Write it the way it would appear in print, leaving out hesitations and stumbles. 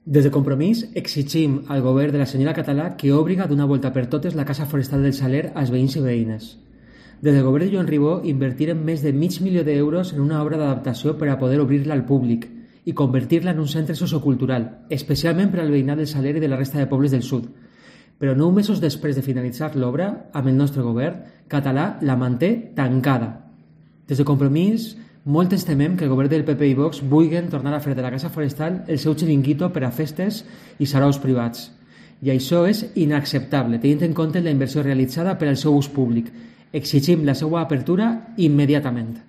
Des de Compromís exigim al govern de la senyora Català que obriga d'una volta per totes la Casa Forestal del Saler als veïns i veïnes. Des del govern de Joan Ribó invertirem més de $500.000 en una obra d'adaptació per a poder obrir-la al públic i convertir-la en un centre sociocultural, especialment per al veïnat del Saler i de la resta de pobles del sud. Però 9 mesos després de finalitzar l'obra, amb el nostre govern, Català la manté tancada. Des de Compromís, molt ens temem que el govern del PP i Vox vulguin tornar a fer de la Casa Forestal el seu xiringuito per a festes i saraus privats. I això és inacceptable, tenint en compte la inversió realitzada per al seu ús públic. Exigim la seva apertura immediatament.